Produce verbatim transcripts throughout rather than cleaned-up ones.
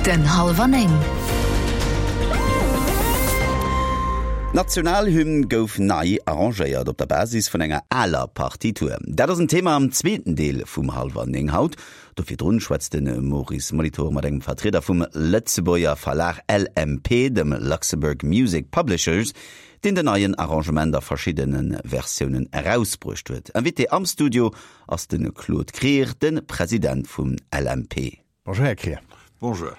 Den Hallwer Néng. D'Nationalhymn gouf nei arrangéiert op der Basis vun enger aler Partitur. Dat ass en Thema am zweeten Deel vum Hallwer Néng haut. Do virdrun schwätzt de Maurice Molitor mat engem Vertrieder vum Lëtzebuerger Verlag L M P, dem Luxembourg Music Publishers, deen den neien Arrangement a verschiddene Versiounen erausbruecht huet. Invité am Studio ass de Claude Krier, de President vum L M P. Bonjour, Här Krier. Bonjour.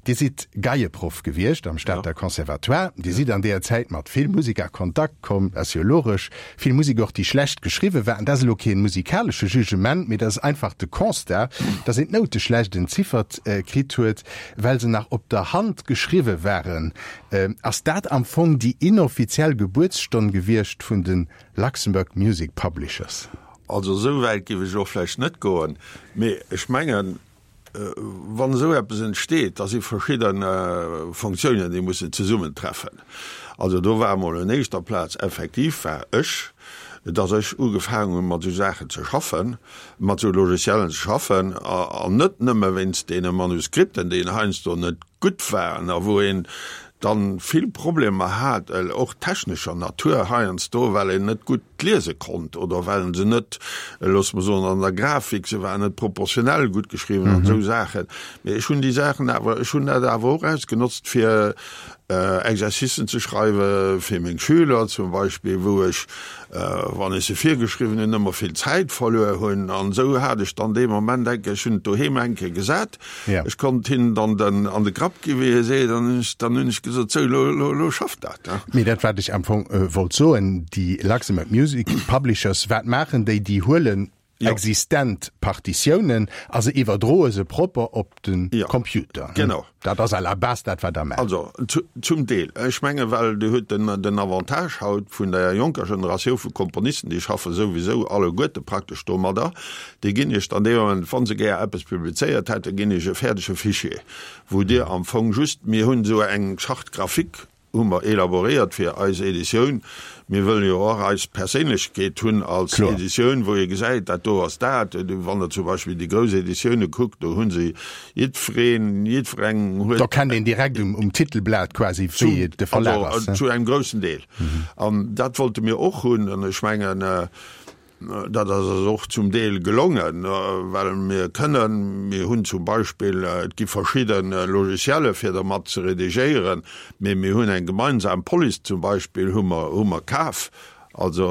Dir sidd Geieproff gewiescht am Stater Ja. Conservatoire. Dir sidd an deeër Zäit mat vill Musek a Kontakt komm, dat ass jo logesch. Vill Musek och, déi schlecht geschriwwe war. An dat ass elo kee musikalesche Jugement, mee dat ass einfach de Constat, dass een d'Noute schlecht entziffert kritt huet, well se nach op der Hand geschriwwe waren. Ass dat am Fong déi inoffiziell Gebuertsstonn gewiescht vun de Luxembourg Music Publishers? Also esou wäit géif ech och vläicht net goen, mee ech mengen, wann esou eppes entsteet, da si verschidde Fonctiounen, déi mussen zesummentreffen. Also do war emol un éischter Plaz effektiv war ech, dass ech ugefaangen hunn, mat esou Saachen ze schaffen, mat esou Logiciellen ze schaffen, an net nëmme wéinst deene Manuskripten, déi heiansdo net gutt waren a wou een dann vill Problemer hat, och technescher Natur heiansdo, well een net gutt liese konnt oder well se net, loosse mer soen, an der Grafik, se waren net proportionell gutt geschriwwen an esou Saachen. Mee ech hunn déi Saachen awer, ech hunn dat awer och ausgenotzt, fir Exercicen ze schreiwe fir meng Schüler zum Beispill, wou ech, wann ech se virgeschriwwen hunn, ëmmer vill Zäit verluer hunn. An esou hat ech dann dee Moment eng Kéier, ech hunn et doheem eng Kéier gesat, ech konnt hinnen dann den an de Grapp gi wéi ee seet, an dann hunn ech gesot, sou, lo, lo, lo schafft dat. Mee dat wat ech am Fong wollt soen, déi Luxembourg Music Publishers, wat maachen déi? Déi huelen existent Partitiounen a se iwwerdroe se propper op de Computer. Genau. Dat ass à la base dat wat Der maacht. Also zum Deel. Ech menge well Dir hutt den den Avantage haut vun der jonker Generatioun vu Komponisten, déi schaffe souwisou alleguerte praktesch domadder, déi ginn Iech dann dee Moment, wa se gär eppes publizéiert hätten, ginn Iech e fäerdege Fichier, wou Dir am Fong just, mir hunn esou eng Charte graphique hu mer elaboréiert fir eis Editioun. Mir wëllen jo och eis Perséinlechkeet hunn als Kloer. Editioun, wou ee gesäit, dat do ass dat. Wann Der zum Beispill déi grouss Editioune kuckt, do hu se jiddwereen, jiddwereng huet. Do kennt een direkt um, um Titelblat quasi, wéi de Verlag also, ass. Zu engem groussen Deel. An dat wollte mir och hunn. An ech mengen, dat ass eis och zum Deel gelongen, well mir kënnen, mir hunn zum Beispill, et gi verschidde Logicielle fir dermat ze redigéieren, mee mir hunn eng gemeinsam Police zum Beispill hu mer, hu mer kaf, also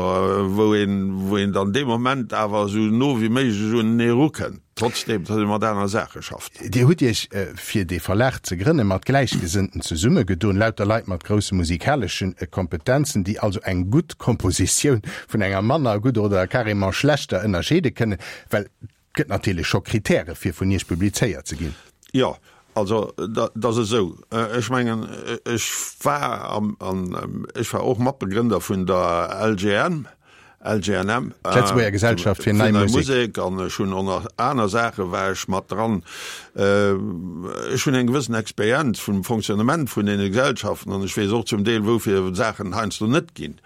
wou een, wou een dann dee Moment awer esou no wéi méiglech unenee erukënnt, trotzdeem datt ee mat aner Saache schafft. Dir hutt Iech, fir dee Verlag ze grënnen, mat Gläichgesënnten zesummegedoen, lauter Leit mat grousse musikalesche Kompetenzen, déi also eng gutt Kompositioun vun enger manner gudder oder carrément schlechter ënnerscheede kënnen, well et gëtt natierlech scho Kritäre fir vun Iech publizéiert ze ginn. Jo, also dat ass esou. Ech mengen, ech war am, an ech war och Matbegrënder vun der L G N, L G N M. D'Lëtzebuerger Gesellschaft fir Nei Nei Musek. Musek, an ech hunn och nach aner Saache war ech mat dran. Ech hunn eng gewëssen Experienz vum Fonctionnement vun deene Gesellschaften an ech weess och zum Deel, woufir Saachen heiansdo net ginn.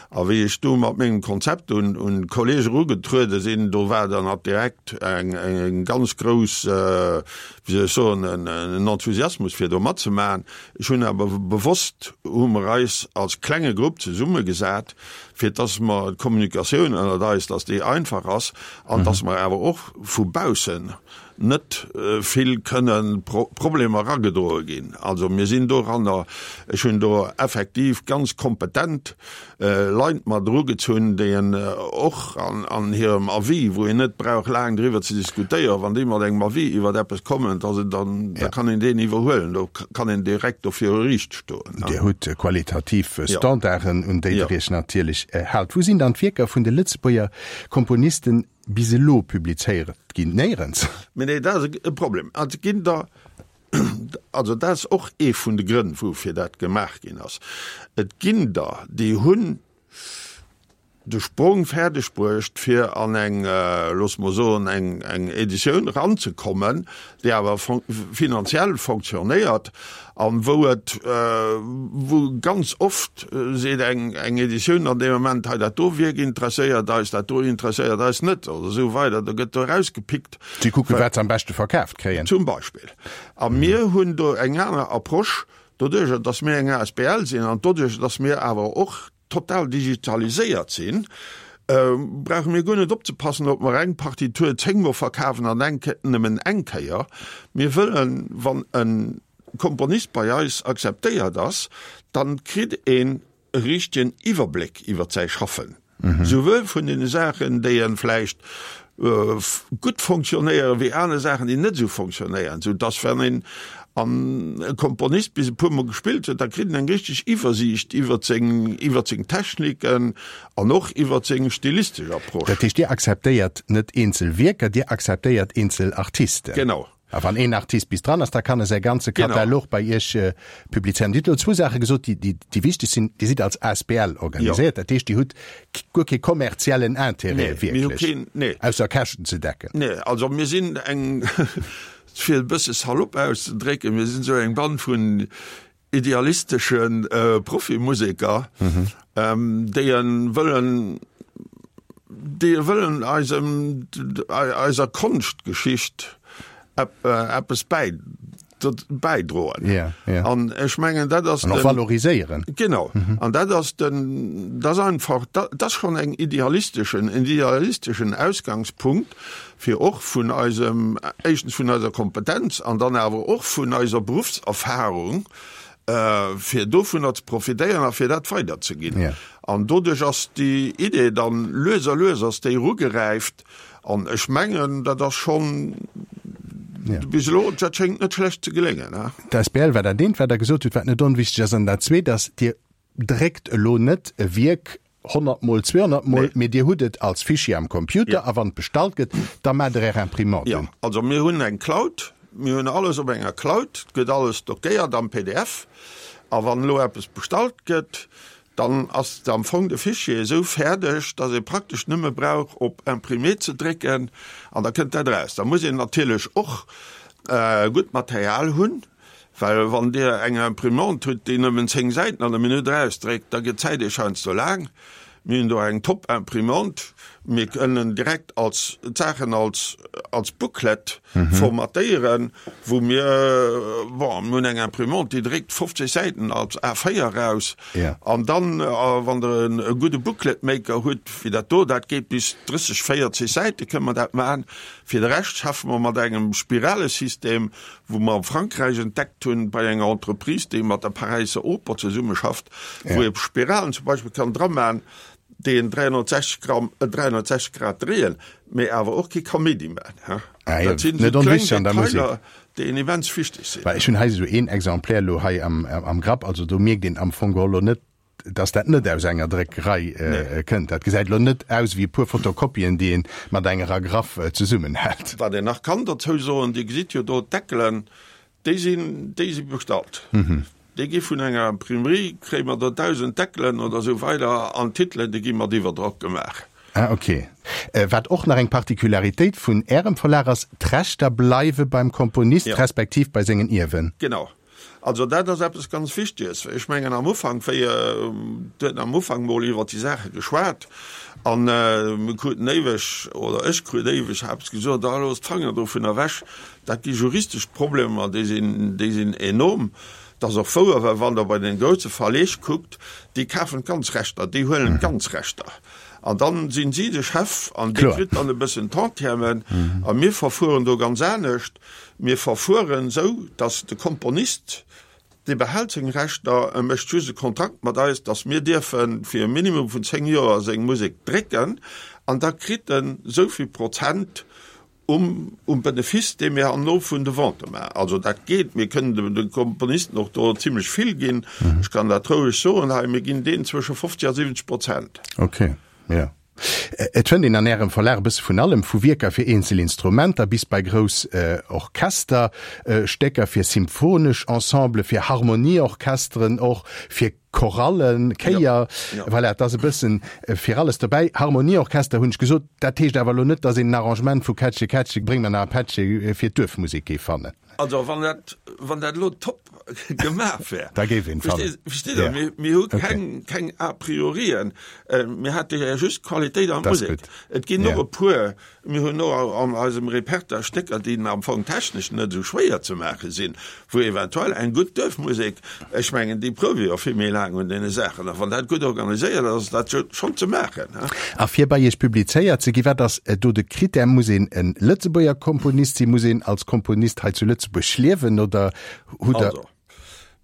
A wéi ech du mat mengem Konzept un un d'Kollege erugetruede sinn, do war dann ab direkt eng eng ganz grouss, wéi soll ech soen, en en Enthusiasmus fir do matzemaachen. Ech hunn awer bewosst, hu mer eis als klenge Grupp zesummegesat, fir dass mer d'Kommunikatioun ënnert eis, dass déi einfach ass an dass mer awer och vu baussen net vill kënnen Problemer eragedroe ginn. Also mir sinn doranner, ech hunn do effektiv ganz kompetent Leit mat erugezunn, déi en och an an hirem Avis, wou een net brauch laang driwwer ze diskutéieren, wann déi mat engem Avis iwwer eppes kommen, da dann da kann een deen iwwerhuelen, do kann een direkt do viru Riicht stoen. Dir hutt qualitativ Standarden, un déi Der Iech natierlech haalt. Wou sinn dann d'Wierker vun de Lëtzebuerger Komponisten bis elo publizéiert ginn? Néierens. Mee nee, dat ass e Problem. Et ginn der, also dat ass och ee vun de Grënn, woufir dat gemaach ginn ass. Et ginn der, déi hunn de Sprong fäerdeg bruecht, fir an eng, loosse mer soen, eng, eng Editioun eranzekommen, déi awer finanziell fonctionnéiert an wou et, wou ganz oft seet eng, eng Editioun an deem Moment, hei dat do Wierk interesséiert eis, dat do interesséiert eis net oder esou weider. Da gëtt do erausgepickt. Si kucken, wat se am beschte verkaaft kréien. Zum Beispill. A mir hunn do eng aner Approche, doduerjer, dass mir eng asbl sinn an doduerjer, dass mir awer och total digitaliséiert sinn, brauche mir guer net opzepassen, ob mer eng Partitur zéngmol verkafen an eng nëmmen eng Kéier. Mir wëllen, wann e Komponist bei eis akzeptéiert ass, dann kritt een e richtegen Iwwerbléck iwwert säi Schaffen, souwuel vun deene Saachen, déi e vläicht gutt fonctionnéieren, wéi aner Saachen, déi net esou fonctionnéieren, sou dass wann een an e Komponist bis e puer Mol gespillt huet, da kritt en eng richteg Iwwersiicht iwwert seng, iwwert seng Techniken an och iwwert seng stilistesch Approche. Dat heescht, Dir akzeptéiert net eenzel Wierker, Dir akzeptéiert eenzel Artisten? Genau. A wann een Artist bis dran ass, da kann e säi ganze Katalog bei Iech publizéieren. Dir hutt elo zwou Saache gesot, déi, déi wichteg sinn. Dir sidd als asbl organiséiert, dat heescht, Dir hutt guer kee kommerziellen Intérêt wierklech, ausser Käschten ze decken. Nee, also mir sinn eng, fir e bësse salopp auszedrécken, mir sinn esou eng Band vun idealistesche Profimuseker, déi wëllen, déi wëllen eisem, eiser Konschtgeschicht eppes bäidroen. Ja, ja. An ech mengen, dat ass An och valoriséieren. Genau. An dat ass den, dat ass einfach, dat ass schonn eng idealisteschen, en idealisteschen Ausgangspunkt, fir och vun eisem, éischtens vun eiser Kompetenz an dann awer och vun eiser Beruffserfahrung, fir dovunner ze profitéieren a fir dat weiderzeginn. Ja. An doduerch ass déi Idee dann lues a lues ass déi erugeräift. An ech mengen, dat ass schonn bis elo, dat schéngt net schlecht ze geléngen. D'Asbl war dat eent, wat Der gesot hutt, wat net onwichtig ass. An dat Zweet ass, Dir dréckt elo net e Wierk honnert Mol, zweehonnert Mol, mee Dir hutt et als Fichier am Computer a wann et bestallt gëtt, da maacht Der Är Imprimante un. Jo, also mir hunn eng Cloud, mir hunn alles op enger Cloud, et gëtt alles stockéiert am P D F. A wann elo eppes bestallt gëtt, Dann ass am Fong de Fichier esou fäerdeg, dass ee praktesch nëmme brauch op Imprimer ze drécken an da kënnt dat eraus. Da muss een natierlech och gutt Material hunn, well wann Dir eng Imprimante hutt, déi nëmmen zéng Säiten an der Minutt erausdréckt, da gëtt d'Zäit Iech heiansdo laang. Mir hunn do eng Top-Imprimante. Mir kënnen direkt als d'Saachen als als Booklet formatéieren, wou mir, bon, mir hunn eng Imprimante, déi dréckt fofzeg Säiten als A véier eraus. An dann, wann Der e gudde Booklet-Maker hutt, wéi dat do, dat geet bis drësseg, véierzeg Säite kënne mer dat maachen. Fir de Rescht schaffe mer mat engem Spiralesystem, wou mer a Frankräich entdeckt hunn, bei enger Entreprise, déi mat der Paräisser Oper zesummeschafft, wou ee Spiralen zum Beispill kann dramaachen, déi en dräihonnertsechzeg Gramm, dräihonnertsechzeg Grad dréien, mee awer och kee Kaméidi maachen, he. Ah jo, Dat sinn net esou kleng onwichtig an der Musek. Detailer, déi en immens wichteg sinn. Well ech hunn hei esou een Exemplaire elo hei am, am Grapp, also do mierkt een am Fong geholl elo net, dass dat net aus enger Dréckerei Nee. kënnt. Dat gesäit elo net aus wéi e puer Fotokopien, déi een mat enger Agraffe zesummenhält. Wat een nach kann dozou soen, Dir gesitt jo do d'Deckelen, Déi sinn, déi si bestallt. Déi gi vun enger Imprimerie, kréie mer der dausend Deckelen oder esou weider an d'Titelen, déi gi mat Iwwerdrock gemaach. Ah, ok. Wat och nach eng Particularitéit vun Ärem Verlag ass, d'Rechter bleiwe beim Komponist respektiv bei sengen Ierwen. Genau. Also dat ass eppes ganz Wichteges. Ech mengen am Ufank, wéi, et huet am Ufank mol iwwert déi Saache geschwat an mir kruten éiweg, oder ech krut éiweg eppes gesot, ah looss d'Fanger dovun ewech, dat gi juristesch Problemer, déi sinn, déi sinn enorm. Dat ass och wouer, well wann Der bei den grousse Verleeg kuckt, déi kafen d'ganz Rechter, déi huelen d'ganz Rechter an dann sinn si de Chef an dee kritt dann e bëssen Tantièmen. A mir verfueren do ganz anescht. Mir verfueren esou, datt de Komponist, dee behält seng Rechter, e mécht just e Kontrakt mat eis, datt mir dierfe fir e Minimum vun zéng Joer seng Musek drécken an da kritt en esou vill Prozent um um Benefice, dee mir herno vun de Vente maachen. Also dat geet, mir kënnen de Komponisten och do zimlech vill ginn, ech kann dat roueg soen hei, mir ginn deenen zwësche fofzeg a siwwenzeg Prozent. Okay, jo. Et fënnt een an Ärem Verlag e bësse vun allem, vu Wierker fir eenzel Instrumenter bis bei grouss Orchester, Stécker fir symphonesch Ensemblen, fir Harmonieorchesteren och, fir Chorallen, Chéier, voilà, et ass e bëssen fir alles dobäi. Harmonieorchester hunn ech gesot, dat heescht awer elo net, datt een en Arrangement vu Kättche, Kättche, bréng mer nach e Pättche fir d'Duerfmusek géif fannen. Also wann dat, wann dat elo top gemaach wär. Da géif een fannen. Versteet Der? Mir, mir hu keng, keng A priorien. Mir hate jo just Qualitéit a Musek. Et ginn och e puer, mir hunn och an eisem Repertoire Stécker, déi am Fong technesch net esou schwéier ze maache sinn, wou eventuell eng gutt Duerfmusek, ech mengen, déi prouwe jo vill méi laang un deene Saachen, a wann dat gutt organiséiert ass, ass dat schonn ze maachen. A fir bei Iech publizéiert ze ginn, wat ass do de Critère? Muss een e Lëtzebuerger Komponist sinn? Muss een als Komponist hei zu Lëtzebuerg liewen oder hutt Der. Also,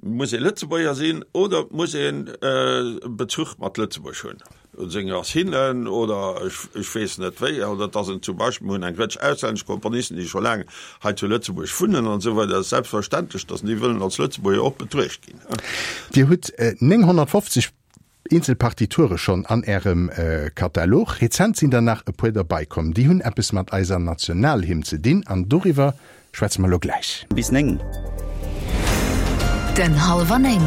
muss ee Lëtzebuerger sinn oder muss een e Bezuch mat Lëtzebuerg hunn, un seng Racinen oder ech, ech weess net wéi. Oder dass en zum Beispill, mir hunn eng Rëtsch auslännesch Komponisten, déi scho laang hei zu Lëtzebuerg wunnen an esou weider, et ass selbstverständlech, dass déi wëllen als Lëtzebuerger och betruecht ginn. Dir hutt nénghonnertfofzeg eenzel Partiture schonn an Ärem Katalog. Rezent sinn der nach e puer derbaikomm. Déi hunn eppes mat eiser Nationalhymn ze dinn an doriwwer schwätze mer elo gläich. Bis néng. Den hallwer néng.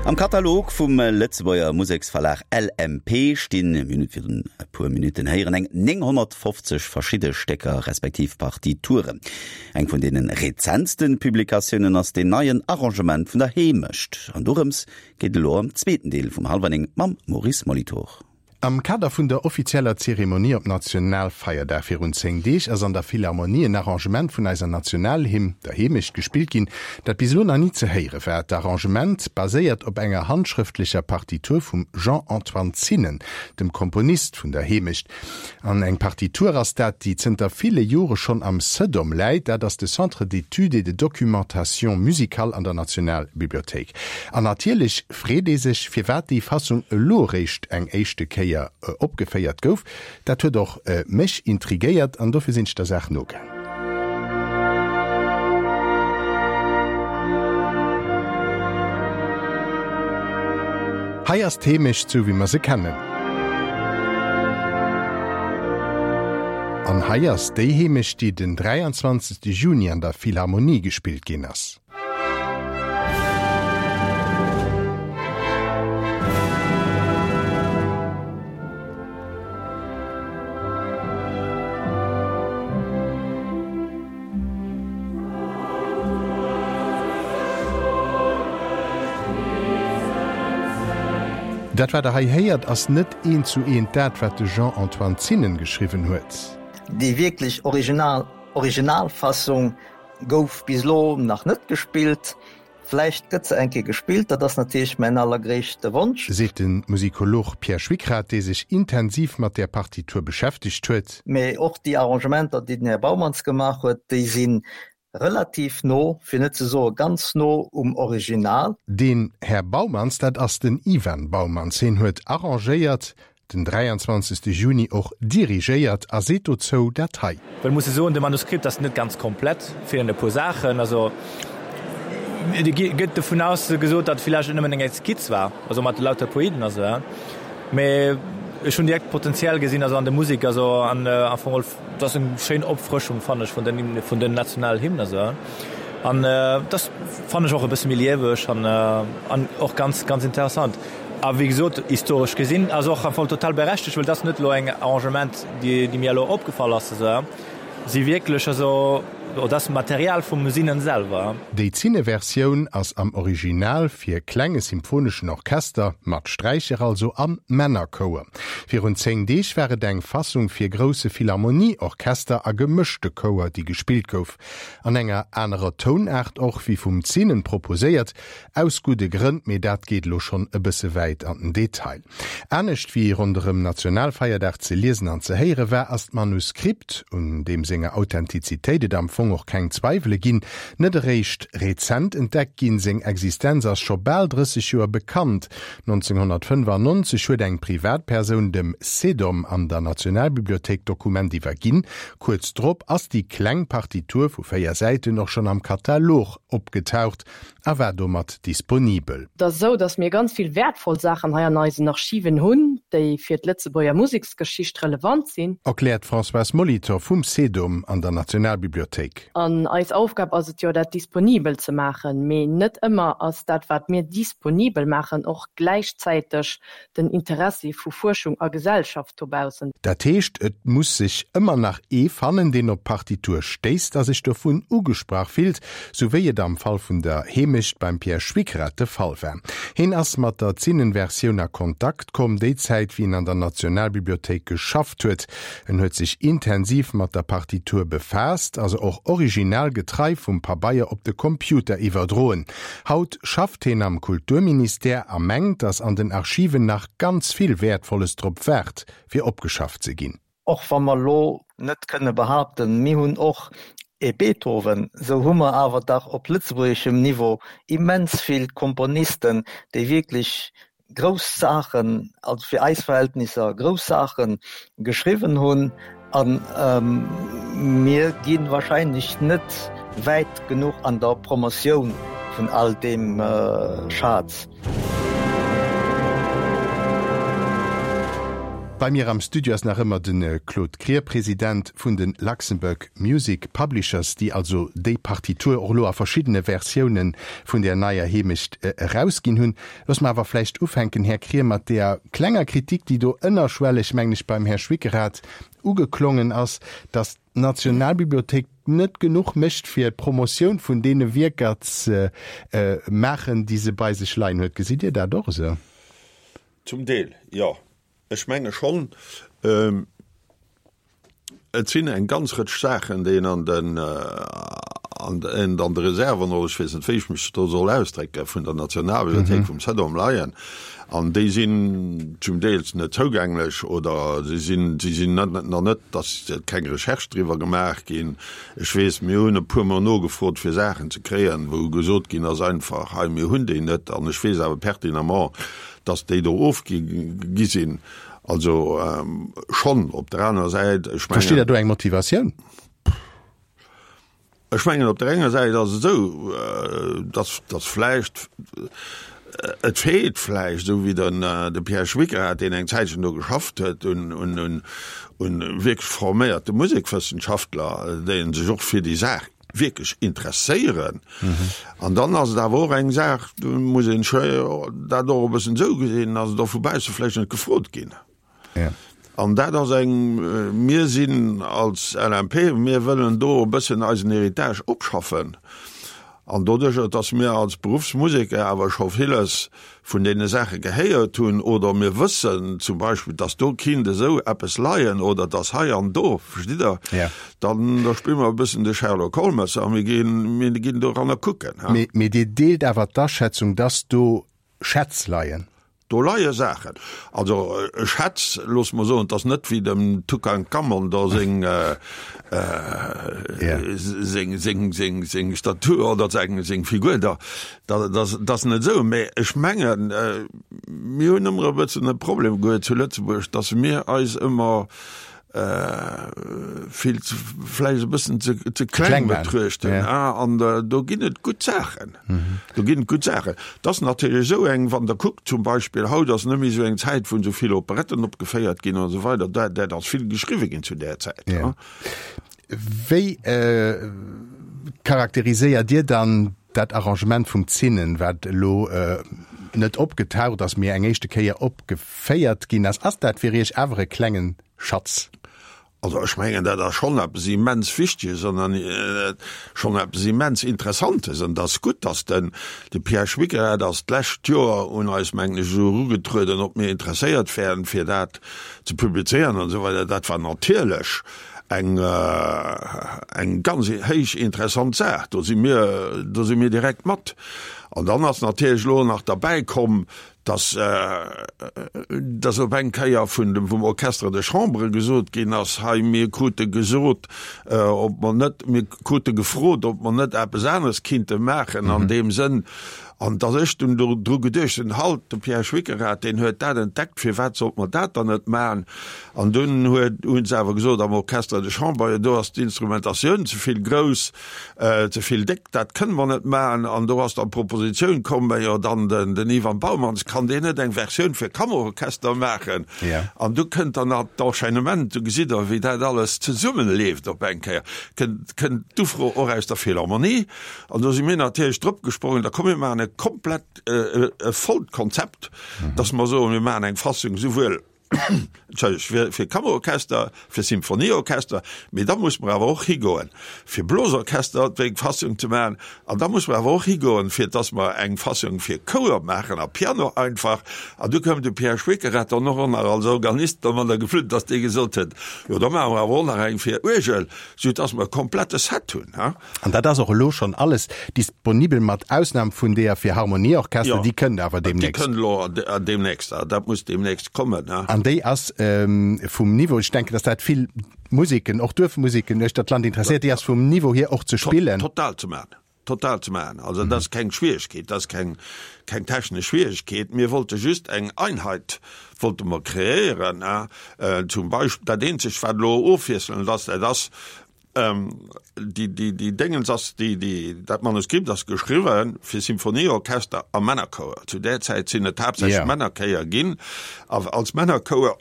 Am Katalog vum Lëtzebuerger Museksverlag L M P stinn, mir hunn et virun e puer Minutten héieren, eng nénghonnertfofzeg verschidde Stécker respektiv Partituren. Eng vun deene rezentste Publikatiounen ass deen neien Arrangement vun der Heemecht. An dorëms geet et elo am zweeten Deel vum Hallwer néng mam Maurice Molitor. Am Kader vun der offizieller Zeremonie op Nationalfeierdag virun zéng Deeg ass an der Philharmonie en Arrangement vun eiser Nationalhymn, der Heemecht, gespillt ginn, dat bis elo nach ni ze héiere war. D'Arrangement baséiert op enger handschrëftlecher Partitur vum Jean-Antoine Zinnen, dem Komponist vun der Heemecht. An eng Partitur ass dat, déi zënter ville Jore schonn am CEDOM läit, dat ass de Centre d'études et de documentation musicale an der Nationalbibliothéik. An natierlech freet ee sech, firwat déi Fassung elo eréischt eng éischte Kéier opgeféiert gouf. Dat huet och mech intrigéiert an dofir sinn ech der Saach nogaang. Hei ass d'Heemecht sou wéi mer se kennen. An hei ass déi Heemecht, déi den dräianzwanzegste Juni an der Philharmonie gespillt ginn ass. Dat wat der hei héiert ass net eent zu eent dat wat de Jean-Antoine Zinnen geschriwwen huet. Déi wierklech original Originalfassung gouf bis elo nach net gespillt. Vläicht gëtt se eng Kéier gespillt, dat ass natierlech mäin allergréisste Wonsch. Seet de Musikolog Pierre Schwickrath, dee sech intensiv mat där Partitur beschäftegt huet. Mee och déi Arrangementer, déi den Här Baumans gemaach huet, déi si relativ no, fir net ze soe ganz no um Original. Den Här Baumans, dat ass den Ivan Baumans. Hien huet arrangéiert, den dräianzwanzegste Juni och dirigéiert a seet dozou dat hei. Well muss ee soen, de Manuskript ass net ganz komplett, feelen e puer Saachen. Also et gëtt dovun aus gesot, datt et villäicht och nëmmen eng Skizz war, also mat lauter Poeten a sou. Mee ech hunn direkt d'Potenzial gesinn, also an der Musek, also an am Fong geholl, et ass eng schéin Opfrëschung, fannen ech, vun den vun den Nationalhymnen a sou. An et ass, fannen ech, och e bësse méi lieweg an an och ganz ganz interessant. A wéi gesot, historesch gesinn ass och am Fong total berechtegt, well et ass net elo eng Arrangement, déi déi mir elo opgefall ass, esou si wierklech, also et ass Material vum Sinnen selwer. Déi Zinne-Versioun ass am Original fir klenge symphoneschen Orchester, mat Sträicher also, a Männerchouer. Virun zéng Deeg war et eng Fassung fir grousse Philharmonie-Orchester a gemëschte Chouer, déi gespillt gouf. An enger anerer Tounaart och wéi vum Zinnen proposéiert, aus gudde Grënn, mee dat geet elo schonn e bësse wäit an den Detail. Anescht wéi ronderëm Nationalfeierdag ze liesen an ze héiere war, ass d'Manuskript, un deem senger Authentizitéit et am Fong Fong och keng Zweiwele ginn, net eréischt rezent entdeckt ginn, seng Existenz ass scho bal drësseg Joer bekannt. nonzénghonnertfënnefannonzeg huet eng Privatpersoun dem CEDOM an der Nationalbibliothéik d'Dokument iwwerginn. Kuerz drop ass déi kleng Partitur vu véier Säiten och schonn am Katalog opgetaucht a war domat disponibel. Et ass esou, datt mir ganz vill wäertvoll Saachen hei an eisen Archiven hunn, déi fir d'Lëtzebuerger Museksgeschicht relevant sinn. Erkläert d'Françoise Molitor vum CEDOM an der Nationalbibliothéik. An eis Aufgab ass et jo, dat disponibel ze maachen. Mee net ëmmer ass dat, wat mir disponibel maachen, och gläichzäiteg den Interessi vu Fuerschung a Gesellschaft dobaussen. Dat heescht, et muss sech ëmmer nach ee fannen, deen op d'Partitur stéisst a sech dovun ugesprach fillt, sou wéi et am Fall vun der Heemecht beim Pierre Schwickrath de Fall war. Heen ass mat der Zinnen-Versioun a Kontakt komm, déi Zäit wéi en an der Nationalbibliothéik geschafft huet. En huet sech intensiv mat der Partitur befaasst a se och originalgetrei vum Pabeier op de Computer iwwerdroen. Haut schafft heen am Kulturministère a mengt, dass an den Archiven nach ganz vill Wäertvolles drop waart, fir opgeschafft ze ginn. Och wa mer elo net kënne behaapten, mir hunn och e Beethoven, esou hu mer awer dach op lëtzebuergeschem Niveau immens vill Komponisten, déi wierklech grouss Saachen, also fir eis Verhältnisser grouss Saache geschriwwen hunn. A mir gi wahrscheinlech net wäit genuch an der Promotioun vun all deem Schaz. Bei mir am Studio ass nach ëmmer de Claude Krier, President vun de Luxembourg Music Publishers, déi also déi Partitur och elo a verschiddene Versioune vun der neier Heemecht erausginn hunn. Loosse mer awer vläicht ufänken, Här Krier, mat där klenger Kritik, déi do ënnerschwelleg, mengen ech, beim Här Schwickerath ugeklongen ass, datt d'Nationalbibliothéik net genuch mécht, fir d'Promotioun vun deene Wierker ze maachen, déi se bei sech leien huet. Gesitt Dir dat och esou? Zum Deel, jo. Ech menge schonn, et sinn eng ganz Rëtsch Saachen, déi een an den, an an de Reserven, oder ech weess net, wéi ech mech do soll ausdrécken, vun der Nationalbibliothéik, vum CEDOM leien. An déi sinn zum Deel net zougänglech oder si sinn, si sinn net, nach net, dass keng Recherche driwwer gemaach ginn. Ech weess, mir hunn e puermol nogefrot, fir Saachen ze kréien, wou gesot ginn ass einfach, hei, mir hunn déi net. An ech weess awer pertinemment, dass déi do ofgi gi sinn. Also schonn op der anerer Säit, ech mengen. Versteet Der do eng Motivatioun? Ech mengen, op der enger Säit ass et esou, dass, dass vläicht, et feelt vläicht, esou wéi den, de Pierre Schwickerath, deen eng Zäitchen do geschafft huet, un, un, un, un wierklech forméierte Musekwëssenschaftler, déi sech och fir déi Saach wierklech interesséieren. An dann ass et awer och eng Saach, do muss een dat och e bëssen esou gesinn, ass et och vu bausse vläicht net gefrot ginn. An dat ass eng, mir sinn als L M P, mir wëllen do e bëssen eisen Héritage opschaffen. An doduercher, dass mir als Beruffsmuseker awer scho villes vun deene Saache gehéiert hunn oder mir wëssen zum Beispill, dass do kinnt esou eppes leien oder dass hei an do, verstitt Der, dann da spille mer e bëssen de Sherlock Holmes a mir ginn, mir ginn doranner kucken. Mee, mee Dir deelt awer d'Aschätzung, dass do Schätz leien? Do leie Saachen. Also Schätz, loosse mer soen, et ass net wéi dem Tutankamon do seng, seng, seng, seng, seng Statue oder seng, seng Figur da. Dat ass, dat ass net esou. Mä ech mengen, mir hunn ëmmer e bëssen e Problem gehuet zu Lëtzebuerg, datt mir eis ëmmer vill ze, vläicht e bëssen ze, ze kleng betruechten. An do ginn et gutt Saachen. Do ginn et gutt Saachen. Et ass natierlech esou eng, wann Der kuckt zum Beispill, haut ass net méi esou eng Zäit, wou esou vill Operetten opgeféiert ginn an esou weider. Dat, dat ass vill geschriwwe ginn zu där Zäit. Wéi charakteriséiert Dir dann dat Arrangement vum Zinnen, wat elo net opgetaucht ass, mee eng éischte Kéier opgeféiert ginn ass? Ass dat fir Iech awer e klengen Schatz? Also ech mengen, dat ass schonn eppes immens Wichteges an schonn eppes immens Interessantes. An et ass gutt, datt den de Pierre Schwickerath ass d'lescht Joer un eis, mengen ech, esou erugetrueden, ob mir interesséiert wären, fir dat ze publizéieren an esou weider. Dat war natierlech eng eng ganz héich interessant Saach. Do si mir, do si mir direkt mat. An dann ass natierlech elo nach derbäi komm, dass, dass op eng Kéier vun dem, vum Orchestre de Chambre gesot ginn ass, hei mir krute gesot, ob mer net, mir krute gefrot, ob mer net eppes aneres kinnte maachen an deem Sënn. An dass ech dunn do dru geduecht hunn, halt, de Pierre Schwickerath, deen huet dat entdeckt, firwat sollt mer dat dann net maachen? An dunn huet, hu se awer gesot am Orchestre de Chambre, jo do ass d'Instrumentatioun ze vill grouss, ze vill déck, dat kënne mer net maachen. An do ass dann d'Propositioun komm, mä jo dann den, den Ivan Baumans, kann deen net eng Versioun fir Kammerorchester maachen? An du kënnt dann nach d'Enchaînement, du gesitt Der, wéi dat alles zesummenleeft op eng Kéier, kënnt, kënnt d'Ufro och aus der Philharmonie. An do si mir natierlech drop gesprongen, da komm mir maachen e komplett, e vollt Konzept, dass mer soen, mir maachen eng Fassung souwuel, entschëllegt, fir, fir Kammerorchester, fir Symphonieorchester, mee da muss mer awer och higoen, fir Blosorchester eng Fassung ze maachen, an da muss mer awer och higoen, fir dass mer eng Fassung fir Chouer maachen a Piano einfach. An du koum de Pierre Schwickerath dann och nach als Organist domadder geflunn, dass dee gesot huet, jo da maache mer awer och nach eng fir Uergel, soudass mer e komplette Set hunn. An dat ass och elo schonn alles disponibel, mat Ausnam vun deeër fir Harmonieorchester, déi kënnt awer deemnächst. Déi kënnt elo deemnächst, dat muss deemnächst kommen. An déi ass vum Niveau, ech denken, datt dat vill Museken, och Duerfmuseken uechter d'Land interesséiert, déi ass vum Niveau hier och ze spillen. Total ze maachen, total ze maachen. Also dat ass keng Schwieregkeet, dat ass keng, keng technesch Schwieregkeet. Mir wollte just eng Einheit wollte mer kreéieren. Zum Beispill, dat eenzegt wat elo ofwiesselnd ass, dat ass, Déi, déi, déi Déngens ass, déi, déi, dat Manuskript ass geschriwwen fir Symphonieorchester a Männerchouer. Zu där Zäit sinn et haaptsächlech yeah. Männerchéier ginn. A als Männerchouer,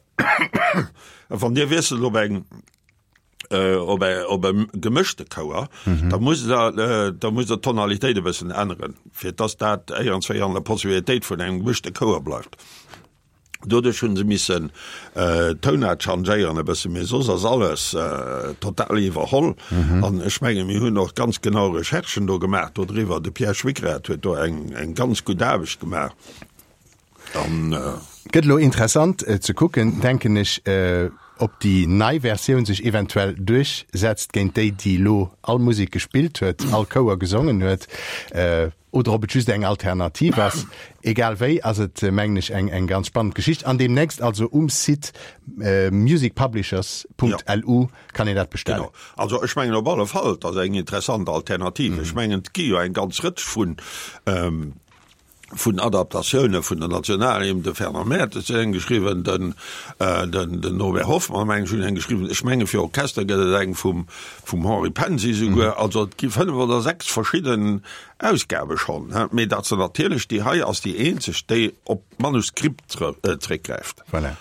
wann Dir wiesselt op eng, äh, op e, op e gemëschte Chouer, mhm. da muss der, äh, da muss der d'Tonalitéit e bëssen änneren, fir dass dat éierens wéi an der Possibilitéit vun engem gemëschte Chouer bleift. Doduerch hunn se missen d'Tounart changéieren e bësse, mee soss ass alles total iwwerholl. An ech menge mir hunn och ganz genau Recherchen do gemaach dodriwwer. De Pierre Schwickrath huet do eng eng ganz gutt Aarbecht gemaach. An. Gëtt elo interessant ze kucken, denken ech, ob déi nei Versioun sech eventuell duerchsetzt géint déi, déi elo all Musek gespillt huet, all Chouer gesongen huet. Oder ob et just eng Alternativ ass. Egal wéi ass et, mengen ech, eng eng ganz spannend Geschicht. An deemnächst also um Site musicpublishers.lu kann een dat bestellen. Genau. Also ech mengen op alle Fall, et ass eng interessant Alternativ. Ech mengen, et gi jo eng ganz Rëtsch vun vun Adaptatioune vun der Nationalhymn, de Fernand Mertes huet eng geschriwwen, den den den Norbert Hoffmann, meng ech, huet eng geschriwwen. Ech menge fir Orchester gëtt et eng vum vum Henri Pensi souguer. Also et gi fënnef oder sechs verschidden Ausgabe schonn, mee dat se natierlech, déi hei ass déi eenzeg, déi op d'Manuskript zréckgräift. Voilà.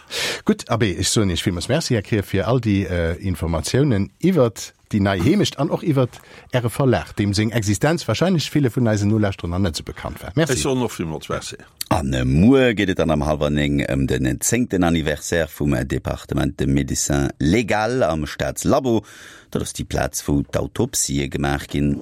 Gutt, abee, ech soen Iech villmools Merci, Här Krier, fir all déi Informatiounen iwwert déi nei Heemecht an och iwwert Äre Verlag, deem seng Existenz wahrscheinlech ville vun eisen Nolauschterer nach net esou bekannt war. Merci. Ech soen och villmools Merci. An muer geet et dann am hallwer néng ëm den zéngten Anniversaire vum Département de Médecine Légale am Staatslabo. Dat ass déi Plaz, wou d'Autopsië gemaach ginn.